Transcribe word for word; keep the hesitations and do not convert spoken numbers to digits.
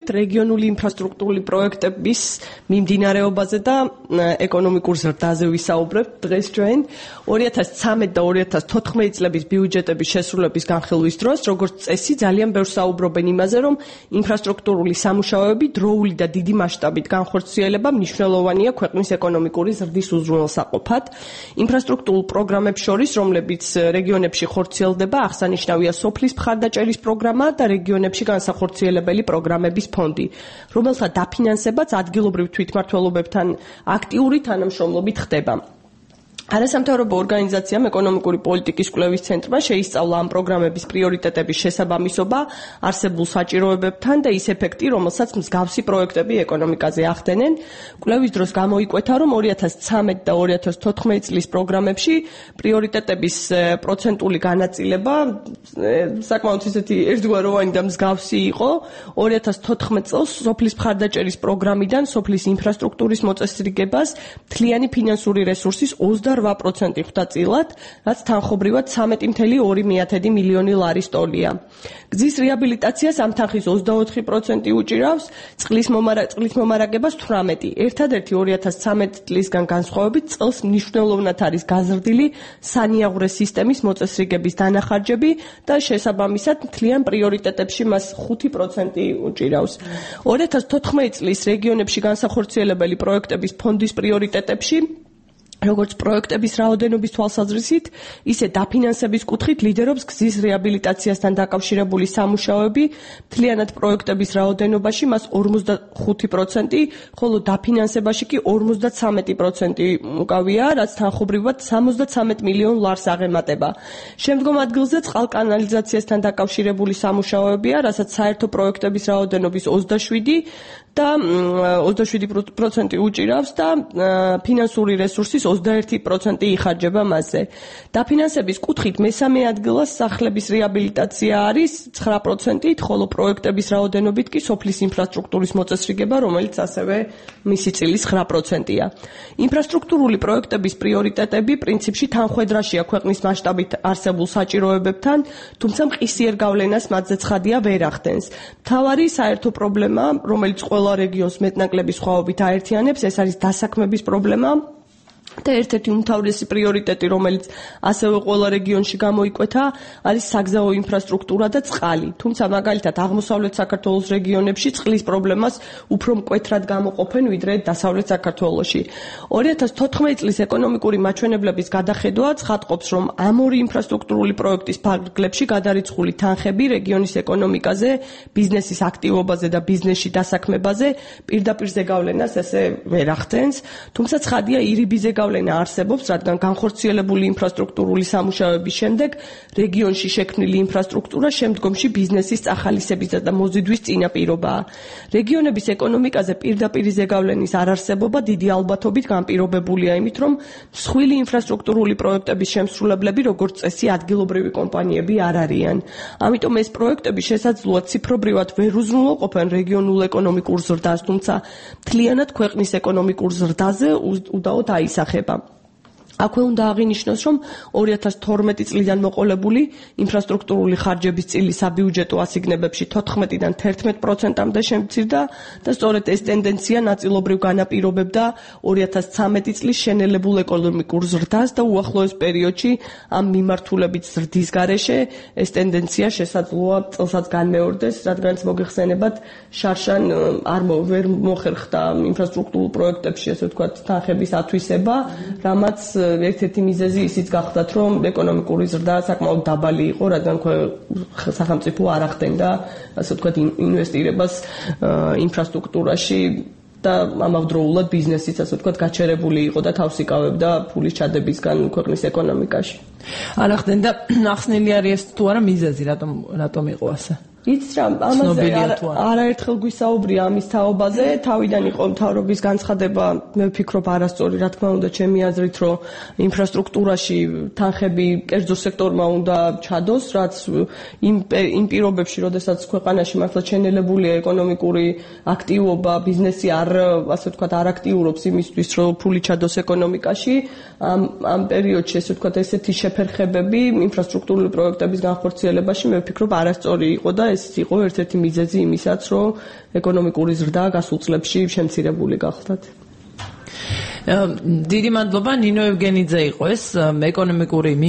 რეგიონული ინფრასტრუქტურული პროექტების მიმდინარეობაზე და ეკონომიკურ ზრდაზე ვისაუბრებთ დღეს ჩვენ. ორი ათას ცხრამეტ და ორი ათას თოთხმეტი წლების ბიუჯეტების შესრულების განხილვის დროს, როგორც წესი, ძალიან ბევრს საუბრობენ იმაზე, რომ ინფრასტრუქტურული სამუშაოები დროული და დიდი მასშტაბით განხორციელება მნიშვნელოვანია ქვეყნის ეკონომიკური ზრდის უზრუნველსაყოფად. ინფრასტრუქტურულ პროგრამებს შორის, რომლებიც რეგიონებში ხორციელდება, აღსანიშნავია სოფლის მხარდაჭერის პროგრამა და რეგიონებში განსახორციელებელი პროგრამების ფონდი, რომელთა დაფინანსებაც ადგილობრივ თვითმმართველობებთან აქტიური თანამშრომლობით ხდება. არასამთავრობო ორგანიზაციამ ეკონომიკური პოლიტიკის კვლევის ცენტრმა შეისწავლა ამ პროგრამების პრიორიტეტების შესაბამისობა არსებულ საჭიროებებთან და ის ეფექტი, რომელსაც მსგავსი პროექტები ეკონომიკაზე ახდენენ. კვლევის დროს გამოიკვეთა, რომ ორი ათას ცხრამეტ და ორი ათას თოთხმეტი წლის პროგრამებში პრიორიტეტების პროცენტული განაწილება საკმაოდ ისეთი ერთგვაროვანი და მსგავსი იყო. ორი ათას თოთხმეტ წელს სოფლის მხარდაჭერის პროგრამიდან სოფლის ინფრასტრუქტურის მოწესრიგებას მთლიანი ფინანსური რესურსის ოცდაოთხ პროცენტი ხვდა წილად, რაც თანხობრივად ცხრამეტი კoma ორი მილიონი ლარის ტოლია. გზის რეაბილიტაციას ამ თანხის ოცდაოთხი პროცენტი უჭირავს, წყლის მომარაგებას თვრამეტი. ერთადერთი ორი ათას ცხრამეტ წლისგან განსხვავებით წელს მნიშვნელოვნად არის გაზრდილი სანიაღვრე სისტემის მოწესრიგების დანახარჯები და შესაბამისად მთლიან პრიორიტეტებში მას ხუთი პროცენტი უჭირავს. ორი ათას თოთხმეტი წლის რეგიონებში განსახორციელებელი პროექტების ფონდის პრიორიტეტებში როგორც პროექტების რაოდენობის თვალსაზრისით, ისე დაფინანსების კუთხით ლიდერობს გზის რეაბილიტაციასთან დაკავშირებული სამუშაოები, მთლიანად პროექტების რაოდენობაში მას ორმოცდახუთი პროცენტი, ხოლო დაფინანსებაში კი ორმოცდაცამეტი პროცენტი უკავია, რაც თანხობრივად სამოცდაცამეტ მილიონ ლარს აღემატება. შემდგომ ადგილზე წყალკანალიზაციასთან დაკავშირებული სამუშაოებია, რასაც საერთო პროექტების რაოდენობის ოცდაშვიდი და ოცდაშვიდი პროცენტი უჭირავს და ფინანსური რესურსის ოცდაერთი პროცენტი იხარჯება მასზე. დაფინანსების კუთხით მესამე ადგილას სახლების რეაბილიტაცია არის ცხრა პროცენტით, ხოლო პროექტების რაოდენობით კი სოფლის ინფრასტრუქტურის მოწესრიგება, რომელიც ასევე მისი წილის ცხრა პროცენტია. ინფრასტრუქტურული პროექტების პრიორიტეტები პრინციპში თანხვედრაშია ქვეყნის მასშტაბით არსებულ საჭიროებებთან, თუმცა მყისიერ გავლენას მათზე ცხადია ვერ ახდენს. მთავარი საერთო პრობლემა, რომელიც ყველა რეგიონს მეტნაკლები სხვაობით აერთიანებს, ეს არის დასაქმების პრობლემა. და ერთ-ერთი უმთავრესი პრიორიტეტი, რომელიც ასევე ყველა რეგიონში გამოიკვეთა, არის საგზაო ინფრასტრუქტურა და წყალი. თუმცა მაგალითად აღმოსავლეთ საქართველოს რეგიონებში წყლის პრობლემას უფრო მკვეთრად გამოყოფენ, ვიდრე დასავლეთ საქართველოში. ორი ათას თოთხმეტი წლის ეკონომიკური მაჩვენებლების გადახედვა ცხადყოფს, რომ ამ ორი ინფრასტრუქტურული პროექტის ფარგლებში გადარიცხული თანხები რეგიონის ეკონომიკაზე, ბიზნესის აქტივობაზე და ბიზნესში დასაქმებაზე პირდაპირ ზეგავლენას ესე ვერ ახდენს, თუმცა ცხადია ირიბიზე გავლენა არსებობს, რადგან განხორციელებული ინფრასტრუქტურული სამუშაოების შემდეგ რეგიონში შექმნილი ინფრასტრუქტურა შემდგომში ბიზნესის წახალისებისა და მოზიდვის წინაპირობაა. რეგიონების ეკონომიკაზე პირდაპირი ზეგავლენის არარსებობა დიდი ალბათობით განპირობებულია იმით, რომ მსხვილი ინფრასტრუქტურული პროექტების შემსრულებლები, როგორც წესი, ადგილობრივი კომპანიები არ არიან. ამიტომ ეს პროექტები შესაძლოა ციფრობრივად ვერ უზრუნველყოფენ რეგიონულ ეკონომიკურ ზრდას, თუმცა მთლიანად ქვეყნის ეკონომიკურ ზრდაზე უდაოდ აისახება. აქვე უნდა აღინიშნოს, რომ ორი ათას თორმეტი წლიდან მოყოლებული ინფრასტრუქტურული ხარჯების წილი საბიუჯეტო ასიგნებებში თოთხმეტიდან თერთმეტ პროცენტამდე შემცირდა და სწორედ ეს ტენდენცია ნაწილობრივ განაპირობებდა ორი ათას ცხრამეტი წლის შენელებულ ეკონომიკურ ზრდას და უახლოეს პერიოდში ამ მიმართულებით ზრდის გარეშე ეს ტენდენცია შესაძლოა წელსაც განმეორდეს, რადგანაც მოგეხსენებათ შარშან არ ვერ მოხერხდა ინფრასტრუქტურულ პროექტებში, ასე ვთქვათ, თანხების ათვისება, რამაც ერთ-ერთი მიზეზი ისიც გახდათ, რომ ეკონომიკური ზრდა საკმაოდ დაბალი იყო, რადგან სახელმწიფო არ ახდენდა, ასე ვთქვათ, ინვესტირებას ინფრასტრუქტურაში და ამავდროულად ბიზნესიც, ასე ვთქვათ, გაჩერებული იყო და თავს იკავებდა ფულის ჩადებისგან ქვეყნის ეკონომიკაში. არ ახდენდა, ახსნილი არის ეს თუ არა მიზეზი, რატომ რატომ იყო ასე? იცით რა, ამაზე არაერთხელ გვისაუბრია ამის თაობაზე, თავიდან იყო მთავრობის განცხადება, მე ვფიქრობ არასწორი, რა თქმა უნდა, ჩემი აზრით, რომ ინფრასტრუქტურაში თანხები კერძო სექტორმა უნდა ჩადოს, რაც იმ იმ პირობებში, როდესაც ქვეყანაში მართლა შენელებულია ეკონომიკური აქტივობა, ბიზნესი არ, ასე ვთქვათ, არ აქტიურობს იმისთვის, რომ ფული ჩადოს ეკონომიკაში, ამ ამ პერიოდში, ასე ვთქვათ, ესეთი შეფერხებები ინფრასტრუქტურული პროექტების განხორციელებაში, მე ვფიქრობ არასწორი იყო და ეს ეს იყო ერთ-ერთი მიზეზი იმისაც, რომ ეკონომიკური ზრდა გასულ წლებში შემცირებული გახდათ. დიდი მადლობა ნინო ევგენიძე იყო ეს ეკონომიკური